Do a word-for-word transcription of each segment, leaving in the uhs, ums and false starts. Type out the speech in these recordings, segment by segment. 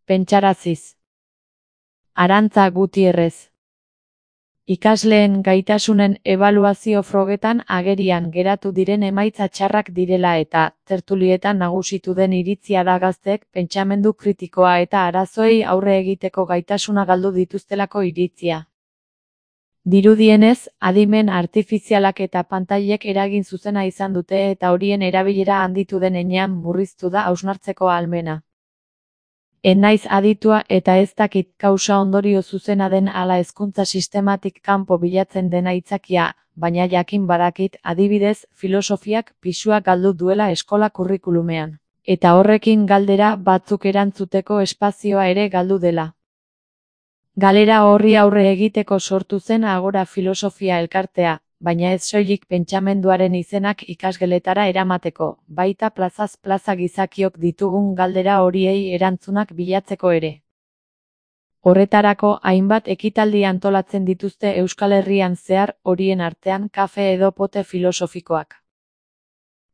Pentsaraziz. Arantza Gutierrez. Ikasleen gaitasunen ebaluazio frogetan agerian geratu diren emaitza txarrak direla eta tertulietan nagusitu den iritzia da gazteek pentsamendu kritikoa eta arazoei aurre egiteko gaitasuna galdu dituztelako iritzia. Dirudienez, adimen artifizialak eta pantailek eragin zuzena izan dute eta horien erabilera handitu den heinean murriztu da hausnartzeko ahalmena. Ez naiz aditua eta ez dakit kausa ondorio zuzena den ala hezkuntza sistematik kanpo bilatzen dena aitzakia, baina jakin badakit adibidez filosofiak pisua galdu duela eskola kurrikulumean, eta horrekin galdera batzuk erantzuteko espazioa ere galdu dela. Galera horri aurre egiteko sortu zen Agora Filosofia elkartea, baina ez soilik pentsamenduaren izenak ikasgeletara eramateko, baita plazaz plaza gizakiok ditugun galdera horiei erantzunak bilatzeko ere. Horretarako hainbat ekitaldi antolatzen dituzte Euskal Herrian zehar, horien artean kafe edo pote filosofikoak.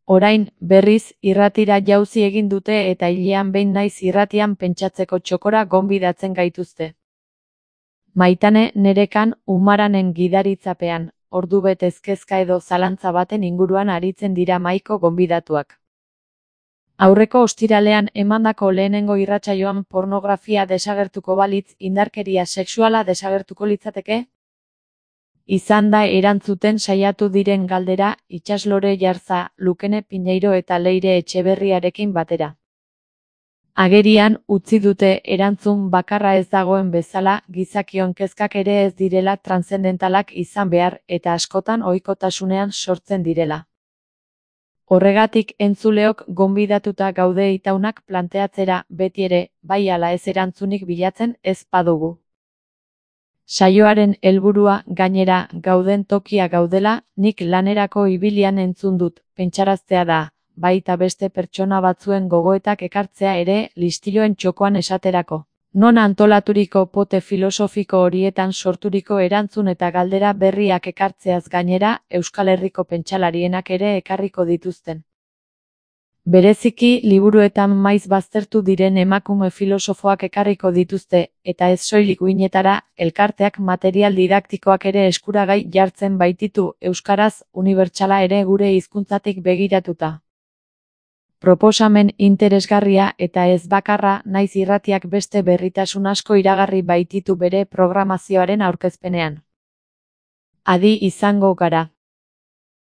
Orain, berriz, irratira jauzi egin dute eta hilean behin naiz irratian pentsatzeko txokora gonbidatzen gaituzte. Maitane Nerekan Umaranen gidaritzapean, ordubetez kezka edo zalantza baten inguruan aritzen dira mahaiko gonbidatuak. Aurreko ostiralean emandako lehenengo irratsaioan pornografia desagertuko balitz indarkeria sexuala desagertuko litzateke? Izan da erantzuten saiatu diren galdera Itsaslore Jarza, Lukene Piñeiro eta Leire Etxeberriarekin batera. Agerian utzi dute erantzun bakarra ez dagoen bezala gizakion kezkak ere ez direla transzendentalak izan behar eta askotan ohikotasunean sortzen direla. Horregatik entzuleok gonbidatuta gaude itaunak planteatzera beti ere, bai ala ez erantzunik bilatzen ez badugu. Saioaren helburua gainera gauden tokia gaudela, nik lanerako ibilian entzun dut, pentsaraztea da. Baita beste pertsona batzuen gogoetak ekartzea ere listiloen txokoan esaterako. Non antolaturiko pote filosofiko horietan sorturiko erantzun eta galdera berriak ekartzeaz gainera, Euskal Herriko pentsalarienak ere ekarriko dituzten. Bereziki liburuetan maiz baztertu diren emakume filosofoak ekarriko dituzte, eta ez soilik uinetara, elkarteak material didaktikoak ere eskuragai jartzen baititu euskaraz unibertsala ere gure hizkuntzatik begiratuta. Proposamen interesgarria eta ez bakarra naiz irratiak beste berritasun asko iragarri baititu bere programazioaren aurkezpenean. Adi izango gara.